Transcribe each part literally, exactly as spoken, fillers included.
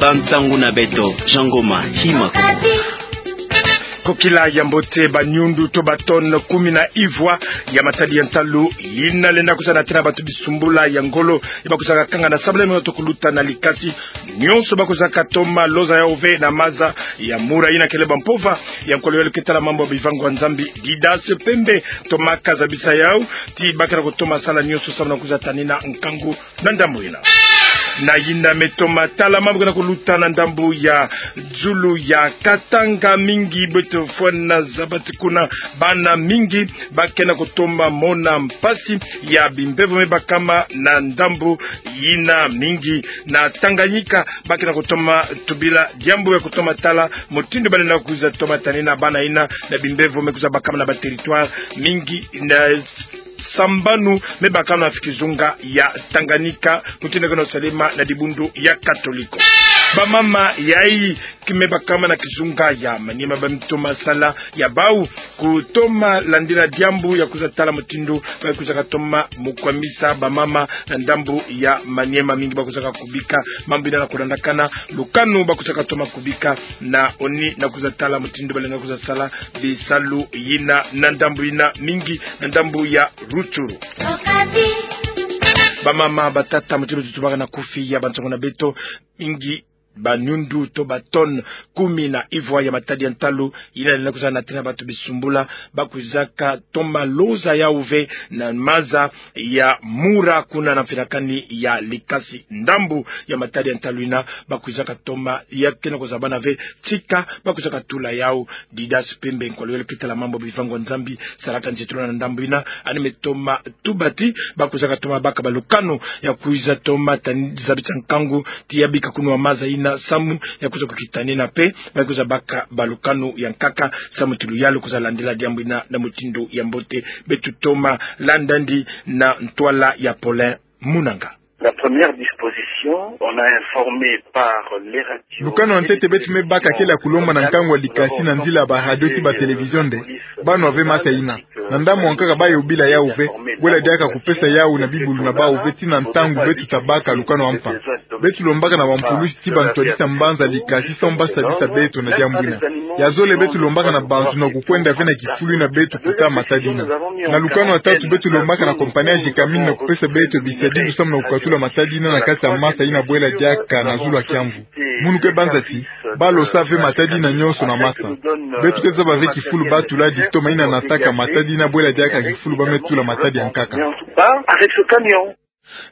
Bansangu na beto, Jean Ngoma Hima Koko. Kokila ya mbote. Baniundu to batone kumi na ivwa ya matadi ya ntalu yina lenda kwiza na tena bato bisumbula ya ngolo, ya bakwizaka kanga na sabala meno to kuluta na likasi. Nionso bakwizaka toma loza yau ve na maza ya mura yina kele ba mpova ya nkolo ya luketa la mambu ya bivangu ya Nzambi, Didas Pembe, tomaka zabisa yau ti bakena kutoma sala nionso samu na kwiza tanina nkangu na ndambu yina. Na yina me toma tala mambu kena kuluta na ndambu ya zulu ya Katanga, mingi beto fwana zabati kuna, bana mingi bakena kutoma mona mpasi ya bimbevo me bakama na ndambu yina, mingi na Tanganyika bakena kutoma tubila diambu ya kutoma tala mutindu balenda kwiza toma tanina bana yina na bimbevo me kwiza bakama na ba territoire mingi na sambanu me bakama na kizunga ya Tanganyika, mutindu kena salema na dibundu ya Katoliko. Bamama yayi ki me bakama na kizunga ya Maniema ba me toma sala ya bau kutoma landila diambu ya kwiza tala mutindu ba kwizaka toma mukwamisa bamama na ndambu ya Maniema, mingi bakwizaka kubika mambu yina na kulandakana lukanu bakwizaka toma kubika na oni na kwiza tala mutindu balenda kwiza sala bisalu yina na ndambu yina, mingi na ndambu ya Rutshuru. Bamama, batata, mutindu tutubaka na kufi ya bansangu na beto, mingi baniundu to batone kumi na ivwa ya matadi ya ntalu yina lenda kwiza na tena bato bisumbula, bakwizaka toma loza yau ve na maza ya mura kuna na mfinakani ya likasi. Ndambu ya matadi ya ntalu yina bakwizaka toma ya kena kuzabana ve tika bakwizaka tula yau. Didas Pembe, nkolo ya luketa la mambu ya bivangu ya Nzambi, salaka nzitulwa na ndambu yina, yandi me toma tuba ti bakwizaka toma baka balukanu ya kwiza toma tani zabisa nkangu ti ya bika kunu wa maza yina samu ya kwiza kukitanina pe, ba kwiza baka balukanu ya nkaka samu ti luyalu kwiza landila diambu yina na mutindu ya mbote. Beto toma landa yandi na ntwala ya Paulin Munanga. La première disposition, on a informé par les radios. Lukanu ya ntete beto me baka kele ya kulomba na nkangu wa likasi na nzila ya ba radio ti ba télévision nde ba nwa ve masa yina. Na ndambu ya nkaka ba yobila yau ve, bwela diaka kupesa yau na bibulu na bau ve tii na ntangu beto ta baka lukanu wa mpa. Beto lombaka na ba mpulusi ti ba ntwadisa mbanza likasi samu ba sabisa beto na diambu yina. Ya zole beto lombaka na bantu na kukwenda ve na kifulu yina beto kuta matadi yina. Na lukanu ya tatu beto lombaka na compagnie ya Gécamines na kupesa beto bisadilu samu na kukatula matadi yina na kati ya masa yina bwela diaka na zulu ya kiamvu. Munu ke banza ti ba losa ve matadi yina nionso na masa. Beto ke zaba ve kifulu ba tula dito ma yina nataka matadi yina bwela diaka kifulu ba me tula matadi ya nkaka. Ba avec ce camion.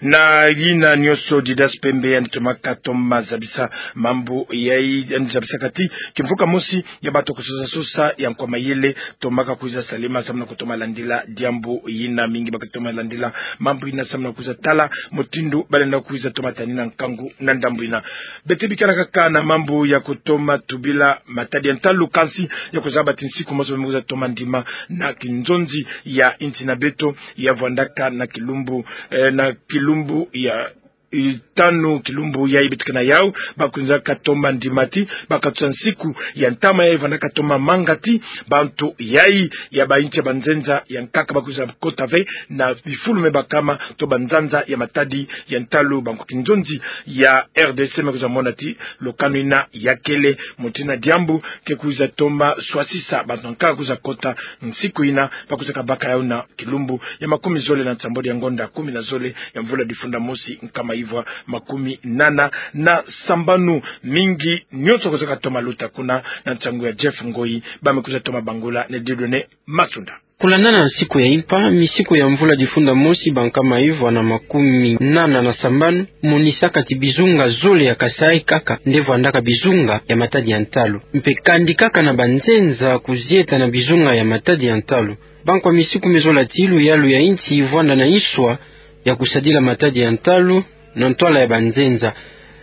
Na yina nionso Didas Pembe yandi tomaka toma zabisa mambu yayi, yandi zabisaka ti kimvuka mosi ya bato kusosa sosa ya nkwa mayele tomaka kwiza salema samu na kutoma landila diambu yina, mingi baka toma landila mambu yina samu na kwiza tala mutindu balenda kwiza toma tanina nkangu na ndambu yina. Beto bikana kaka na mambu ya kutoma tubila matadi ya ntalu, kansi ya kuzaba ti nsiku mosi ba me kwiza toma ndima na kinzonzi ya insi na beto ya vwandaka na kilumbu, eh, na kilumbu ya, eh, tanu, kilumbu yayi beto ke na yau, ba kwizaka toma ndima ti ba katusa nsiku ya ntama yayi vwandaka toma manga ti bantu yayi ya ba insi ya banzenza ya nkaka ba kwiza kota ve na bifulu me bakama to banzanza ya matadi ya ntalu. Banko kinzonzi ya R D C me kwiza mona ti lukanu yina ya kele mutindu na diambu ke kwiza toma swasisa bantu ya nkaka kwiza kota nsiku yina, ba kwizaka baka yau na kilumbu ya makumi zole na nsambwadi ya ngonda kumi na zole ya mvula difunda mosi nkama ivwa makumi nana na sambanu. Mingi nionso kwizaka toma luta kuna na nsangu ya Jeff Ngoyi, ba me kwiza toma bangula na Dieudonné Matunda. Kulandana na nsiku ya impa, misiku ya mvula difunda mosi ba nkama ivwa na makumi nana na sambanu, monisaka ti bizunga zole ya Kasaï kaka nde vwandaka bizunga ya matadi ya ntalu. Mpe kandi kaka na banzenza kuzieta na bizunga ya matadi ya ntalu. Banko ya misiku me zola ti luyalu ya insi vwanda na inswa ya kusadila matadi ya ntalu na ntwala ya banzenza.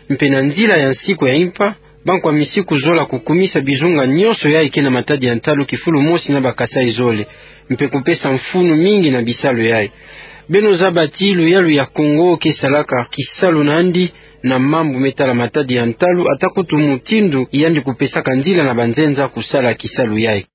Mpe na nzila ya nsiku ya impa, banko ya misiku zola kukumisa bizunga nionso yayi ke na matadi ya ntalu kifulu mosi na ba Kasaï zole, mpe kupesa mfunu mingi na bisalu yayi. Beno zaba ti luyalu ya Kongo ke salaka kisalu na yandi na mambu me tala matadi ya ntalu, ata kutu mutindu yandi kupesaka nzila na banzenza kusala kisalu yayi.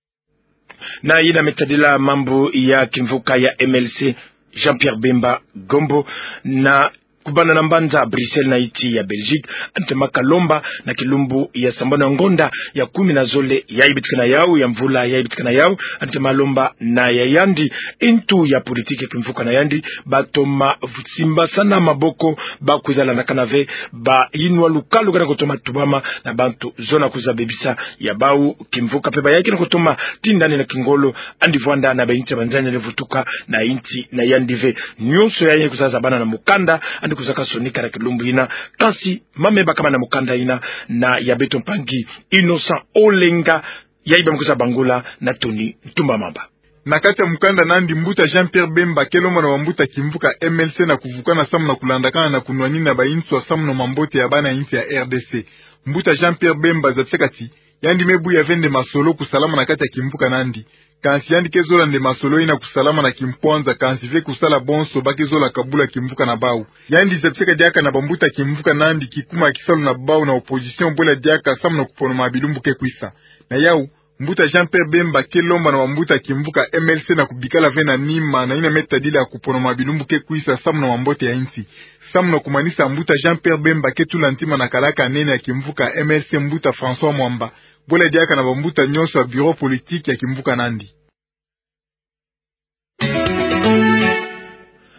Na yina me tadila mambu ya kimvuka ya M L C, Jean-Pierre Bemba Gombo, na Kubanda na mbanza Bruxelles na insi ya Belgique, yandi tema kalomba na kilumbu ya sambanu ya ngonda ya kumi na zole yayi bitikana yawu, ya mvula yayi bitikana yawu, yandi tema lomba na ya yandi intu ya politiki ya kimvuka na yandi, batoma simbasana maboko, bakwiza landakana ve, bayinwa lukalu kena kutoma tubama na bantu zona kwiza bebisa ya bawu kimvuka mpe bayayi kena kutoma tinda yandi na kingolo, yandi vwanda na bainsi ya banzanza yandi vutuka na insi na yandi ve. Nyonso yayi kwiza zabana na mukanda yandi kwiza kasonika na kilumbu yina. Kansi mame bakama na mukanda yina na ya beto mpangi Innocent Olenga, yayi ba me kwiza bangula na Tony Ntumba Mamba. Na kati ya mukanda na yandi, mbuta Jean-Pierre Bemba ke lomba na bambuta kimvuka M L C na kuvukana samu na kulandakana na kunwanina banswa samu na mambote ya bana insi ya R D C. Mbuta Jean-Pierre Bemba zabisaka ti yandi me buya ve nde masolo kusalama na kati ya kimvuka na yandi. Kansi yandi ke zola nde masolo yina kusalama na kimpwanza, kansi ve kusala bonso ba ke zola kabula kimvuka na bawu. Yandi zabisaka diaka na bambuta kimvuka na yandi kikuma ya kisalu na bawu na opposition bwela diaka samu na kuponoma bilumbu ke kwisa. Na yawu, mbuta Jean-Pierre Bemba ke lomba na bambuta kimvuka M L C na kubikala ve na nima na yina me tadila kuponoma bilumbu ke kwisa samu na mambote ya insi. Samu na kumanisa, mbuta Jean-Pierre Bemba ke tula ntima na kalaka nene ya kimvuka M L C, mbuta François Mwamba, bwela diaka na bambuta nyonso ya bureau politique ya kimvuka na yandi.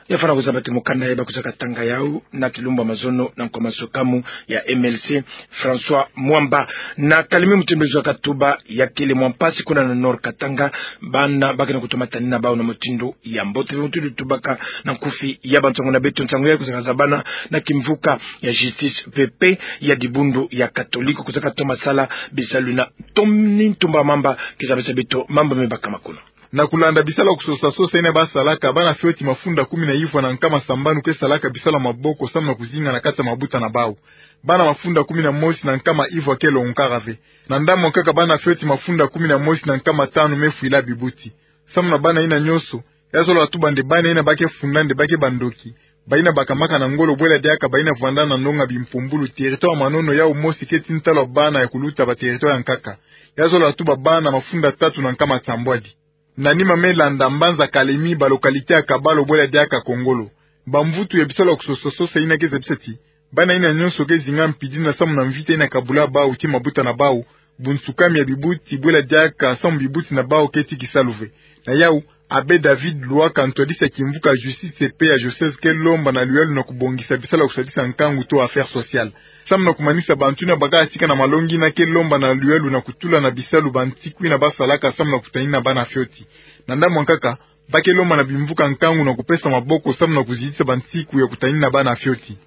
Ya fwana kuzaba ti mukanda yayi ba kwiza katanga yawu na kilumbu ya mazono na nkwa masukamu ya M L C François Mwamba. Na Kalemi, mutindu zwa katuba, ya kele mwa mpasi kuna na Nord Katanga, bana ba kena kutoma tanina bawu na mutindu ya mbote. Mutindu tubaka na nkufi ya bansangu na beto, nsangu yayi kwiza kazabana na kimvuka ya Justice P P ya dibundu ya Katoliko, kwiza katoma sala bisalu yina. Tony Ntumba Mamba ke zabisa beto mambu me bakama kuna. Na kulanda bisalu ya kusosa sosa yina ba salaka, bana fioti mafunda kumi na ivwa na nkama sambanu ke salaka bisalu ya maboko samu na kuzinga na kati ya mabuta na bawu. Bana mafunda kumi na mosi na nkama ivwa ke lonkaka ve. Na ndambu ya nkaka, bana fioti mafunda kumi na mosi na nkama tanu me fwila bibuti. Samu na bana yina nyonso, ya zola tuba nde bana yina ba ke funda nde ba ke bandoki, bayina bakamaka na ngolo bwela diaka bayina vwanda na ndonga bimpumbulu. Territoire ya Manono yawu mosi ke ti ntalu ya bana ya kuluta ba territoire ya nkaka. Ya zola tuba bana mafunda tatu na nkama sambwadi. Na nima me landa mbanza Kalemi, ba localité ya Kabalo bwela diaka Kongolo. Bamvutu ya bisalu ya kusosa sosa yina ke zabisa ti bana yina nyonso ke zinga mpidina samu na mvita yina kabula bawu ti mabuta na bawu, bunsukami ya bibuti bwela diaka samu bibuti na bawu ke ti kisalu ve. Na yawu, Abbé David Lwaka, ntwadisi ya kimvuka Justice P P ya diocèse, ke lomba na luyalu na kubongisa bisalu ya kusadisa nkangu to affaires sociales. Samu na kumanisa, bantu yina baka tika na malongi yina ke lomba na luyalu na kutula na bisalu bansiku yina ba salaka samu na kutanina bana fioti. Na ndambu ya nkaka, ba ke lomba na bimvuka nkangu na kupesa maboko samu na kuzitisa bansiku ya kutanina bana fioti.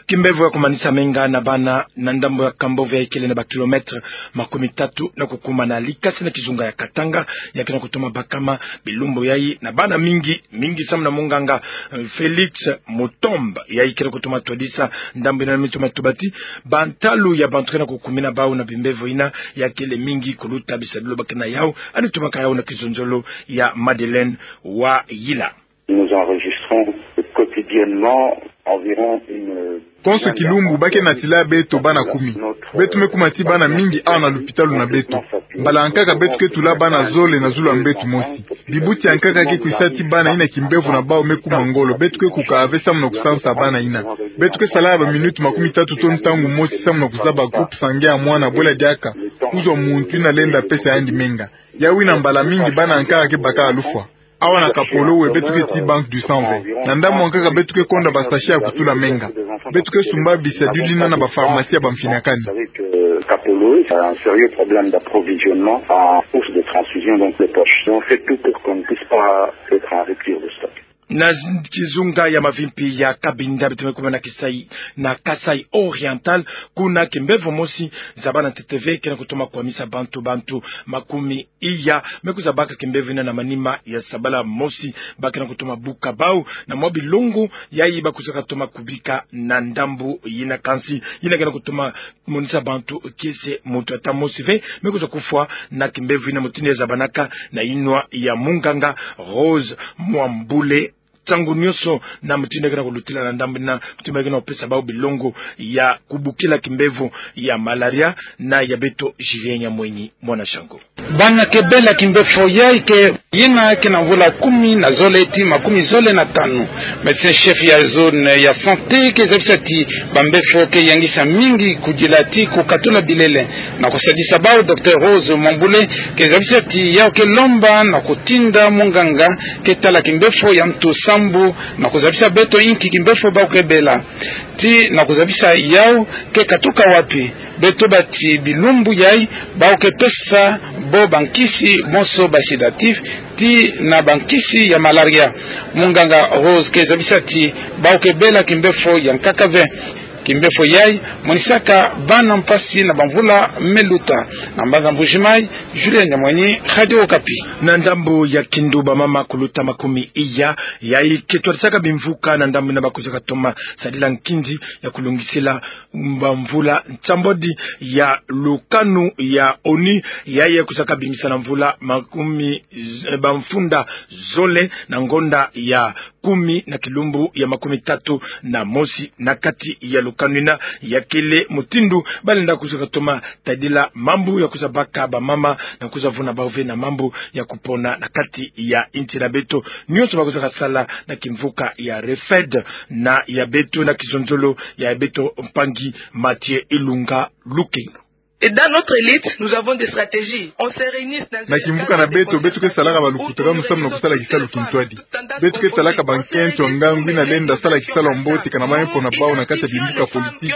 Kimbevo ya kumanisa menga na bana na ndambu ya Kambove ya ikele na ba kilomètre makumi tatu na kukuma na Likasi na kizunga ya Katanga, ya kena kutoma bakama bilumbu yayi na bana mingi, mingi samu na munganga, eh, Félix Mutomba, ya ikele kutoma twadisa ndambu yina, na mitoma tuba ti bantalu ya bantu kena kukumina bawu na bimbevo yina ya kele mingi kuluta bisadulu ba kena yawu. Yandi tumaka yawu na kizonzolo ya Madeleine Wayila. Nous enregistrons quotidiennement environ une... Konso kilumbu ba ke natila beto bana kumi. Beto me kuma ti bana mingi awa na lupitalu na beto. Mbala ya nkaka beto ke tula bana zole na zulu ya mbeto mosi. Bibuti ya nkaka ke kwisa ti bana yina kimbevo na bawu me kuma ngolo. Beto ke kuka ve samu na kusansa bana yina. Beto ke sala ba minutes makumi tatu to ntangu mosi samu na kuzaba groupe sanguin ya mwana bwela diaka kuzwa muntu yina lenda pesa yandi menga. Yawu yina mbala mingi bana ya nkaka ke baka lufwa. Awa na Kapolowe beto ke ti banque du sang ve. Na ndambu ya nkaka beto ke konda ba sachets ya kutula menga. Beto ke sumba bisadulu yina na ba pharmacie ya bamfinakani. Avec, euh, Kapolowe, c'est un sérieux problème d'approvisionnement en source de transfusion, donc les poches. On fait tout pour qu'on ne puisse pas être en rupture de stock. Na kizunga ya mavimpi ya Cabinda, beto me kuma na Kasaï, na Kasaï Oriental, kuna kimbevo mosi zabana ntete ve, kena kutoma kwamisa bantu, bantu makumi iya me kwiza baka kimbevo yina na manima ya sabala mosi. Ba kena kutoma buka bawu na mwa bilongo yayi ba kwiza katoma kubika na ndambu yina, kansi yina kena kutoma monisa bantu kiese, muntu ata mosi ve me kwiza kufwa na kimbevo yina, mutindu ya zabanaka na yinwa ya munganga Rose Mwambule ntangu nyonso, na mutindu ke na kulutila na ndambu yina, mutindu ke na kupesa bau bilongo ya kubukila kimbevo ya malaria, na ya beto Julien Nyamwenyi, mwana Shango. Bana ke bela kimbefo yayi ke yina ke na mvula kumi na zole ti makumi zole na tanu. Médecin chef ya zone ya santé ke zabisa ti bambefo ke yangisa mingi kudila ti kukatula bilele. Na kusadisa bau, docteur Rose Mwambule ke zabisa ti yau ke lomba na kutinda munganga ke tala kimbefo ya ntu sambu na kuzabisa beto inki kimbefo bau ke bela. Ti na kuzabisa yau ke katuka wapi. Beto bati bilumbu yayi, bau ke pesa bo bankisi moso ba sédatif, ti na bankisi ya malaria. Munganga Rose ke zabisa ti bau ke bela kimbefo ya nkaka ve. Kimbefo yayi monisaka bana mpasi na bamvula me luta. Na mbanza Mbuji-Mayi, Julien Nyamwenyi, Radio Okapi. Na ndambu ya Kindu, bamama kuluta makumi iya yayi ke twadisaka bimvuka na ndambu yina ba kuzaka toma sadila nkinzi ya kulongisila bamvula nsambwadi ya lukanu ya ONU, yayi ya kuzaka bimisa na mvula makumi z-, bamfunda zole na ngonda ya kumi na kilumbu ya makumi tatu na mosi na kati ya lukanu yina. Ya kele mutindu ba lenda kuzaka toma tadila mambu ya kuza baka bamama na kuza vuna bau ve na mambu ya kupona na kati ya insi na beto. Nyonso ba kuzaka sala na kimvuka ya REFED, na ya beto na kizonzolo ya beto mpangi Mathieu Ilunga Lukenga. Et dans notre élite, nous avons des stratégies. On se réunit dans un... Na kimvuka na beto, beto ke salaka balukutulanu samu na kusala kisalu kintwadi. Beto ke talaka bankento ngangu yina lenda sala kisalu ya mbote kana mambu ya mpo na bau na kati ya bimvuka politiki,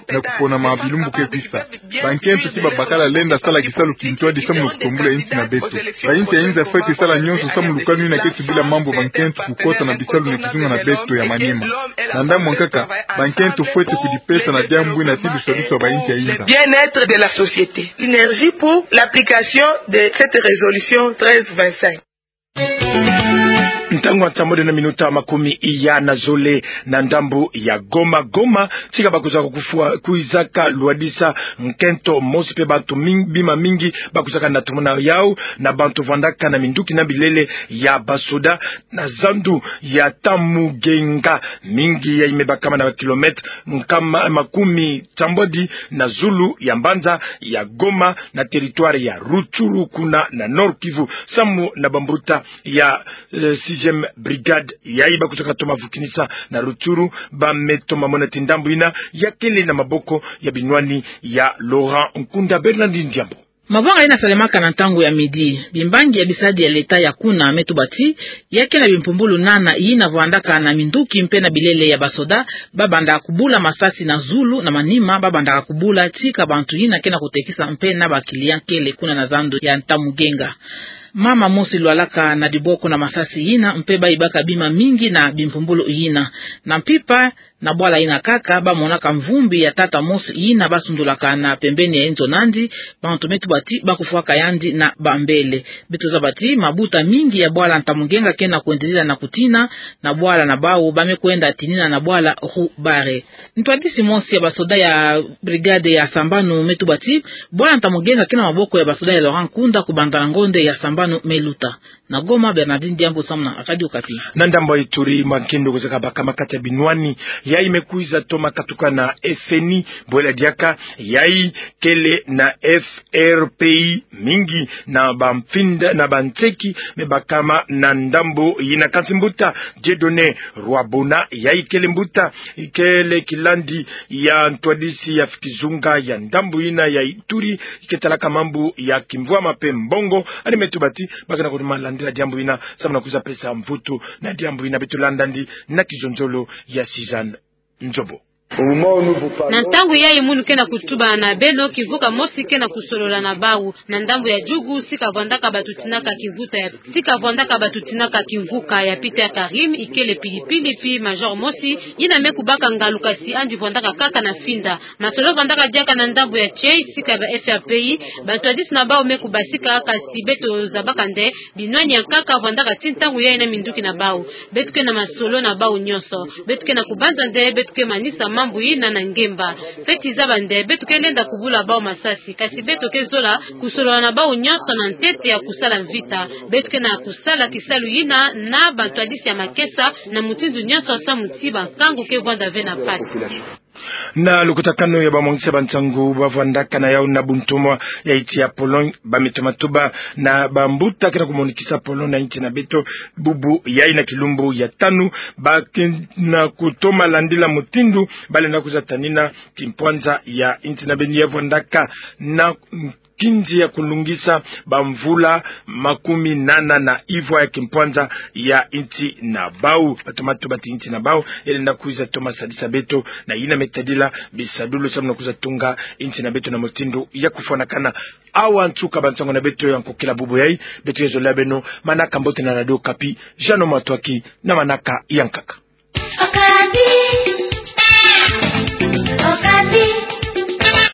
na kupona ma bilumbu ke kwisa. Bankento ti babakala lenda sala kisalu kintwadi samu na kutombula insi na beto. Bainsi ya inza fwete sala nyonso samu lukanu yina ke tubila mambu bankento kukota na bisalu na kizunga na beto ya manima. Na ndambu ya nkaka, bankento fwete kudipesa na diambu yina ti lusalusu ya bainsi ya inza. Le bien-être de la société. Synergie pour l'application de cette résolution treize vingt-cinq. Ntangu ya nsambwadi na minuta makumi iya na zole na ndambu ya Goma. Goma, tika ba kwiza kufwa, kwizaka lwadisa nkento mosi mpe bantu ming-, bima mingi ba kwizaka natumuna yau na bantu vwandaka na minduki na bilele ya basoda na zandu ya Ntamugenga. Mingi yayi me bakama na kilomètre nkama, makumi nsambwadi na zulu ya mbanza ya Goma, na territoire ya Rutshuru, kuna na Nord-Kivu, samu na bambuta ya, eh, sixième brigade yayi ba kwizaka toma vukinisa na Rutshuru, ba me toma mona ti ndambu yina ya kele na maboko ya binwani ya Laurent Nkunda. Bernardine Diambu. Mabwanga yina salemaka na ntangu ya midi. Bimbangi ya bisadi ya leta ya kuna me tuba ti ya ke na bimpumbulu nana yina vwandaka na minduki mpe na bilele ya basoda, ba bandaka kubula masasi na zulu, na manima ba bandaka kubula tika bantu yina ke na kutekisa mpe na ba client kele kuna na zandu ya Ntamugenga. Mama mosi lwalaka na diboko na masasi yina, mpe ba yibaka bima mingi na bimpumbulu yina. Na mpimpa, na bwala yina kaka, ba monaka mvumbi ya tata mosi yina ba sundulaka na pembeni ya inzo nandi, bantu me tuba ti ba kufwaka yandi na bambele. Beto zaba ti mabuta mingi ya bwala Ntamugenga ke na kwendelila na kutina, na bwala na bau ba me kwenda tinina na bwala Rue Barré. Ntwadisi mosi ya basoda ya brigade ya sambanu me tuba ti bwala Ntamugenga ke na maboko ya basoda ya Laurent Nkunda kubanda na ngonde ya sambanu me luta. Na Goma, Bernardine Diambu samu na Radio Okapi. Na ndambu ya Ituri, mankendo kwizaka bakama kati ya binwani yayi me kwiza toma katuka na F N I, bwela diaka yayi kele na F R P I, mingi na bamfinda na banseki me bakama na ndambu yina. Kansi mbuta Dieudonné Rwabona, yayi kele mbuta, kele kilandi ya ntwadisi ya kizunga ya ndambu yina ya Ituri, ke talaka mambu ya kimvwama mpe mbongo, yandi me tuba ti ba ke na kutoma landila diambu yina samu na kwiza pesa mvutu na diambu yina. Beto landa yandi na kizonzolo ya Suzanne Nzombo. Na ntangu yayi munu ke na kutuba na beno, kimvuka mosi ke na kusolola na bau na ndambu ya Djugu, sika vwandaka batutinaka kimvuka ya, sika vwandaka batutinaka kimvuka ya Peter Karim, ikele pili-pili pi major mosi yina me kubaka ngalu, kasi yandi vwandaka kaka na finda. Masolo vwandaka diaka na ndambu ya Tchei, sika ba F R P I, bantwadisi na bau me kubasika, kasi beto zabaka nde binwani ya nkaka vwandaka ti ntangu yayi na minduki na bau. Beto ke na masolo na bau nyonso. Beto ke na kubanza nde beto ke manisa mambu Mbu yina na ngemba. Feti zaba nde beto ke lenda kubula bau masasi, kasi beto ke zola kusolola na bau nyonso na ntete ya kusala mvita. Beto ke na kusala kisalu yina na bantwadisi ya makesa, na mutindu nyonso samu ti bankangu ke vwanda ve na mpasi. Na lukutakanu ya bamwangisi ya bansangu bavwandaka na yau na buntoma ya insi ya Pologne, bametoma tuba na bambuta ke na kumonikisa Pologne na insi na beto bubu yayi na kilumbu ya tanu, ba ke na kutoma landila mutindu ba lenda kwiza tanina kimpwanza ya insi na beno ya vwandaka na nkinzi ya kulungisa bamvula makumi nana na ivwa ya kimpwanza ya insi na bau. Batoma tuba ti insi na bau ya lenda kwiza toma sadisa beto na yina me tadila bisadulu samu na kwiza tunga insi na beto na mutindu ya kufwanakana. Awa nsuka bansangu na beto ya nkokila bubu yayi. Beto ke zolila beno manaka mbote na Radio Okapi. Jeannot Matoaki na manaka ya nkaka.